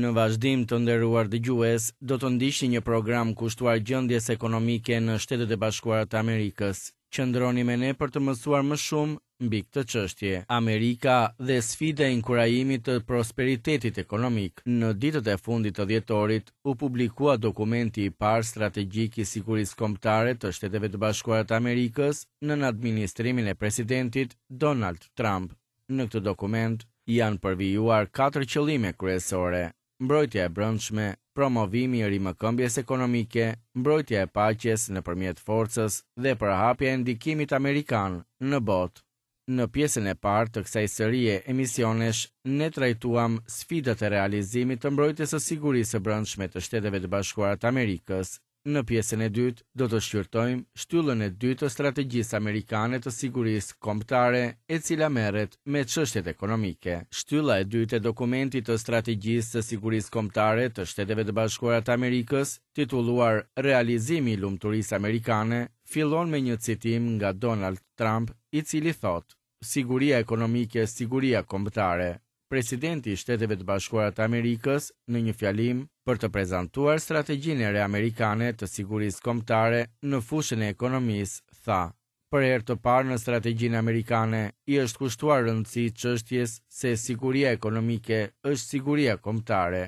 Në vazhdim të nderuar dëgjues, do të ndiqni një program kushtuar gjendjes ekonomike në Shtetet e Bashkuara të Amerikës. Qëndroni me ne për të mësuar më shumë mbi këtë çështje. Amerika dhe sfida e inkurajimit të prosperitetit ekonomik. Në ditët e fundit të dhjetorit u publikua dokumenti i parë strategjik i sigurisë kombëtare të Shteteve të Bashkuara të Amerikës nën administrimin e presidentit Donald Trump. Në këtë dokument janë përvijuar katër qëllime kryesore, mbrojtja e brendshme, promovimi i rimëkëmbjes ekonomike, mbrojtja e paqes nëpërmjet forcës dhe përhapja e ndikimit amerikan në botë. Në pjesën e parë të kësaj serie emisionesh, ne trajtuam sfidat e realizimit të mbrojtjes së sigurisë së brendshme të Shteteve të Bashkuara të Amerikës. Në pjesën e dytë do të shqyrtojmë shtyllën e dytë të strategjisë amerikane të sigurisë kombëtare, e cila merret me çështjet ekonomike. Shtylla e dytë e dokumentit të strategjisë së sigurisë kombëtare të Shteteve të Bashkuara të Amerikës, titulluar Realizimi i lumturisë amerikane, fillon me një citim nga Donald Trump, i cili thotë, Siguria ekonomike, siguria kombëtare. Presidenti i Shteteve të Bashkuara të Amerikës, në një fjalim për të prezantuar strategjinë e re amerikane të sigurisë kombëtare në fushën e ekonomisë, tha, Për herë të parë në strategjinë amerikane i është kushtuar rëndësi çështjes se siguria ekonomike është siguria kombëtare.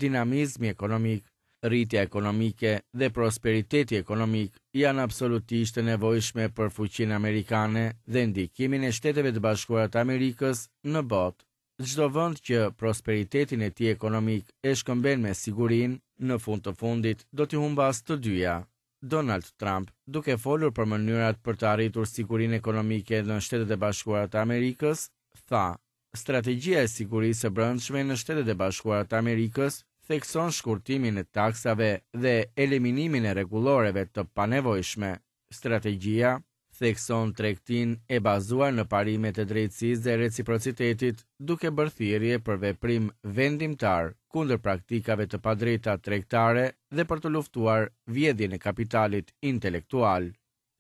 Dinamizmi ekonomik, rritja ekonomike dhe prosperiteti ekonomik janë absolutisht të nevojshme për fuqinë amerikane dhe ndikimin e Shteteve të Bashkuara të Amerikës në botë. Çdo vend që prosperitetin e tij ekonomik e shkëmben me sigurinë, në fund të fundit do t'i humbasë të dyja. Donald Trump, duke folur për mënyrat për të arritur sigurinë ekonomike në Shtetet e Bashkuara të Amerikës, tha, Strategjia e sigurisë së brendshme në Shtetet e Bashkuara të Amerikës thekson shkurtimin e taksave dhe eliminimin e rregulloreve të panevojshme. Strategjia thekson tregtinë e bazuar në parimet e drejtësisë dhe reciprocitetit, duke bërë thirrje për veprim vendimtar kundër praktikave të padrejta tregtare dhe për të luftuar vjedhjen e kapitalit intelektual.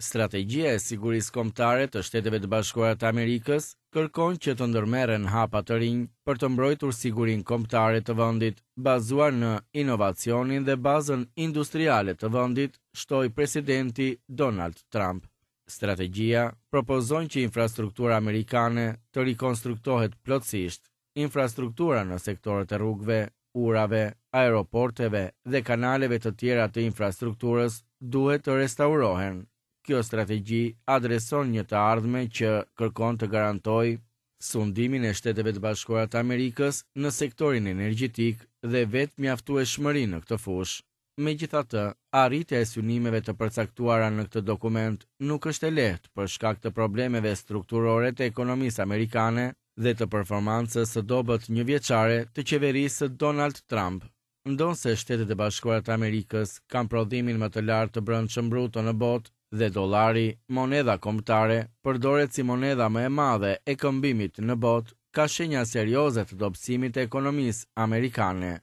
Strategjia e sigurisë kombëtare të Shteteve të Bashkuara të Amerikës kërkon që të ndërmerren hapa të rinj për të mbrojtur sigurinë kombëtare të vendit, bazuar në inovacionin dhe bazën industriale të vendit, shtoi presidenti Donald Trump. Strategjia propozon që infrastruktura amerikane të rikonstruktohet plotësisht. Infrastruktura në sektorët e rrugëve, urave, aeroporteve dhe kanaleve të tjera të infrastrukturës duhet të restaurohen. Kjo strategji adreson një të ardhme që kërkon të garantojë sundimin e Shteteve të Bashkuara të Amerikës në sektorin energjetik dhe vetëmjaftueshmërinë në këtë fushë. Megjithatë, arritja e synimeve të përcaktuara në këtë dokument nuk është e lehtë për shkak të problemeve strukturore të ekonomisë amerikane dhe të performancës së dobët njëvjeçare të qeverisë së Donald Trump. Ndonëse Shtetet e Bashkuara të Amerikës kanë prodhimin më të lartë të brendshëm bruto në botë dhe dollari, monedha kombëtare, përdoret si monedha më e madhe e këmbimit në botë, ka shenja serioze të dobësimit të ekonomisë amerikane.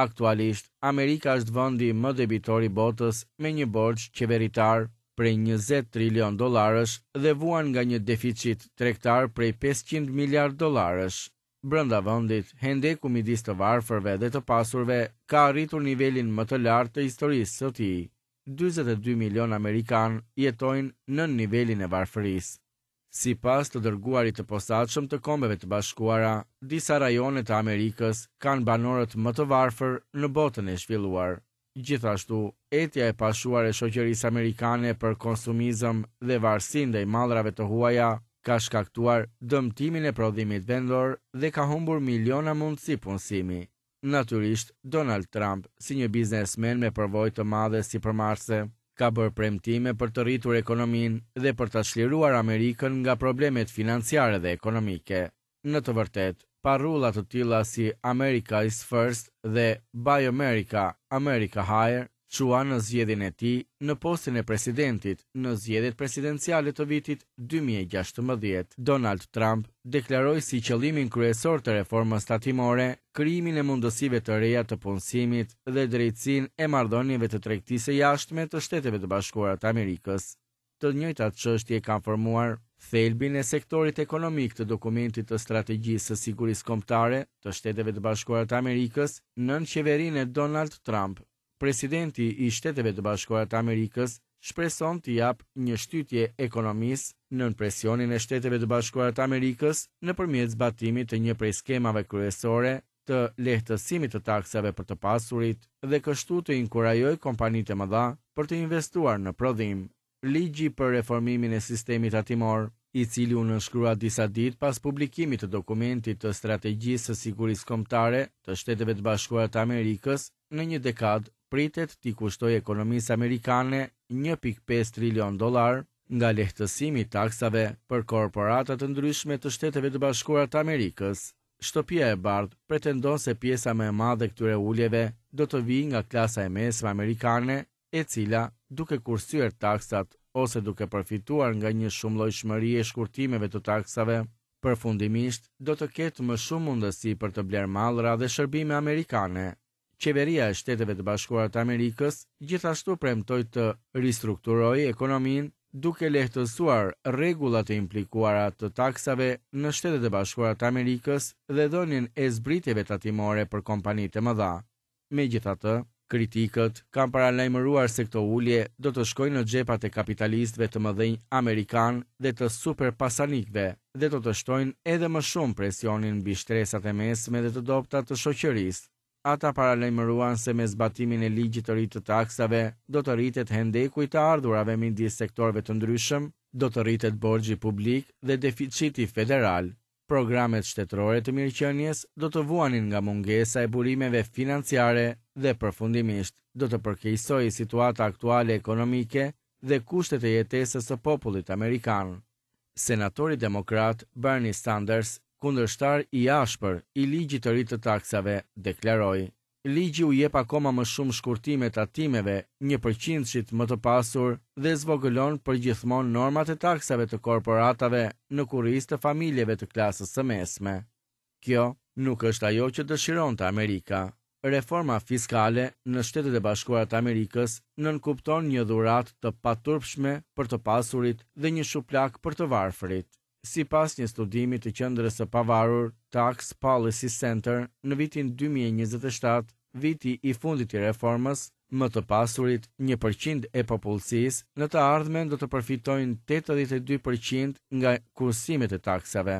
Aktualisht, Amerika është vendi më debitor i botës me një borxh qeveritar prej 20 trilion dollarësh dhe vuan nga një deficit tregtar prej 500 miliard dollarësh. Brenda vendit, hendeku midis të varfërve dhe të pasurve ka arritur nivelin më të lartë të historisë së tij. 42 milion amerikanë jetojnë nën nivelin e varfërisë. Sipas të dërguarit të posaçëm të Kombeve të Bashkuara, disa rajone të Amerikës kanë banorët më të varfër në botën e zhvilluar. Gjithashtu, etja e pashuar e shoqërisë amerikane për konsumizëm dhe varësi ndaj mallrave të huaja ka shkaktuar dëmtimin e prodhimit vendor dhe ka humbur miliona mundësi punësimi. Natyrisht, Donald Trump, si një biznesmen me përvojë të madhe sipërmarrëse, ka bërë premtime për të rritur ekonominë dhe për ta çliruar Amerikën nga problemet financiare dhe ekonomike. Në të vërtetë, parrulla të tilla si America is First dhe Buy America, America Hire çuan në zgjedhjen e tij në postin e presidentit në zgjedhjet presidenciale të vitit 2016. Donald Trump deklaroi si qëllimin kryesor të reformës tatimore krijimin e mundësive të reja të punësimit dhe drejtësinë e marrëdhënieve të tregtisë së jashtme të Shteteve të Bashkuara të Amerikës. Të njëjtat çështje kanë formuar Thelbin e sektorit ekonomik të dokumentit të Strategjisë së Sigurisë Kombëtare të Shteteve të Bashkuara të Amerikës nën qeverinë e Donald Trump, presidenti i Shteteve të Bashkuara të Amerikës shpreson t'i japë një shtytje ekonomisë nën presionin e Shteteve të Bashkuara të Amerikës nëpërmjet zbatimit të një prej skemave kryesore të lehtësimit të taksave për të pasurit dhe kështu të inkurajojë kompanitë e mëdha për të investuar në prodhim. Ligji për reformimin e sistemit tatimor, i cili u nënshkrua disa ditë pas publikimit të dokumentit të Strategjisë së Sigurisë Kombëtare të Shteteve të Bashkuara të Amerikës në një dekadë pritet t'i kushtojë ekonomisë amerikane 1.5 trilion dollarë nga lehtësimi i taksave për korporata të ndryshme të Shteteve të Bashkuara të Amerikës. Shtëpia e Bardhë pretendon se pjesa më e madhe e këtyre uljeve do të vijë nga klasa e mesme amerikane, e cila, duke kursyer taksat ose duke përfituar nga një shumëllojshmëri e shkurtimeve të taksave, përfundimisht do të ketë më shumë mundësi për të blerë mallra dhe shërbime amerikane. Qeveria e Shteteve të Bashkuara të Amerikës gjithashtu premtoi të ristrukturojë ekonominë duke lehtësuar rregullat e implikuara të taksave në Shtetet e Bashkuara të Amerikës dhe dhënien e zbritjeve tatimore për kompanitë e mëdha. Megjithatë, kritikët kanë paralajmëruar se këto ulje do të shkojnë në xhepat e kapitalistëve të mëdhenj amerikanë dhe të superpasanikëve dhe do të shtojnë edhe më shumë presionin mbi shtresat e mesme dhe të dobëta të shoqërisë. Ata paralajmëruan se me zbatimin e ligjit të ri të taksave do të rritet hendeku i të ardhurave midis sektorëve të ndryshëm, do të rritet borxhi publik dhe deficiti federal. Programet shtetërore të mirëqenies do të vuanin nga mungesa e burimeve financiare dhe përfundimisht do të përkeqësohej situata aktuale ekonomike dhe kushtet e jetesës së popullit amerikan. Senatori demokrat Bernie Sanders, kundërshtar i ashpër i ligjit të ri të taksave, deklaroi, Ligji u jep akoma më shumë shkurtime tatimeve një përqindshit më të pasur dhe zvogëlon përgjithmonë normat e taksave të korporatave në kurriz të familjeve të klasës së mesme. Kjo nuk është ajo që dëshironte Amerika. Reforma fiskale në Shtetet e Bashkuara të Amerikës nënkupton një dhuratë të paturpshme për të pasurit dhe një shuplakë për të varfërit. Sipas një studimi të qendrës së pavarur Tax Policy Center në vitin 2027, viti i fundit i reformës, më të pasurit 1% e popullsisë në të ardhmen do të përfitojnë 82% nga kursimet e taksave.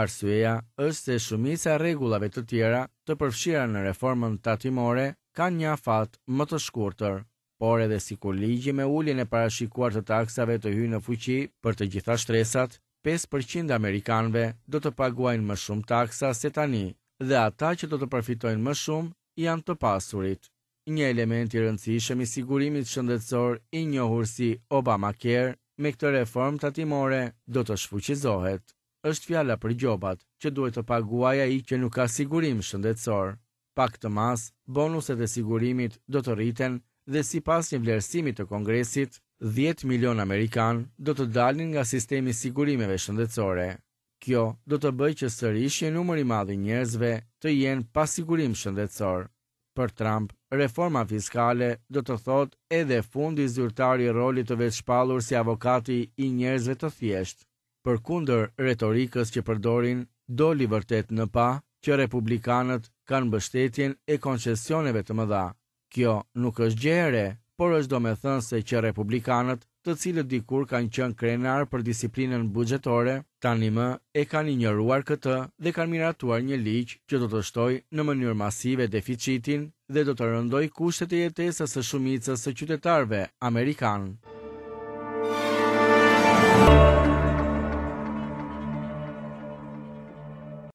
Arsyeja është se shumica e rregullave të tjera të përfshira në reformën tatimore kanë një afat më të shkurtër. Por edhe sikur ligji me uljen e parashikuar të taksave të hyjë në fuqi për të gjitha shtresat, 5% e amerikanëve do të paguajnë më shumë taksa se tani dhe ata që do të përfitojnë më shumë janë të pasurit. Një element i rëndësishëm i sigurimit shëndetësor i njohur si Obamacare me këtë reformë tatimore do të shfuqizohet. Është fjala për gjobat që duhet të paguajë ai që nuk ka sigurim shëndetësor. Pa këtë masë, bonuset e sigurimit do të rriten dhe sipas një vlerësimi të Kongresit, 10 milion amerikanë do të dalin nga sistemi i sigurimeve shëndetësore. Kjo do të bëjë që sërish një numër i madh i njerëzve të jenë pa sigurim shëndetësor. Për Trump, reforma fiskale do të thotë edhe fundi zyrtar i rolit të vetëshpallur si avokati i njerëzve të thjeshtë. Përkundër retorikës që përdorin, doli vërtet në pah që republikanët kanë mbështetjen e koncesioneve të mëdha. Kjo nuk është gjë e re, por është domethënëse që republikanët, të cilët dikur kanë qenë krenarë për disiplinën buxhetore, tani më e kanë injoruar këtë dhe kanë miratuar një ligj që do të shtojë në mënyrë masive deficitin dhe do të rëndojë kushtet e jetesës së shumicës së qytetarëve amerikanë.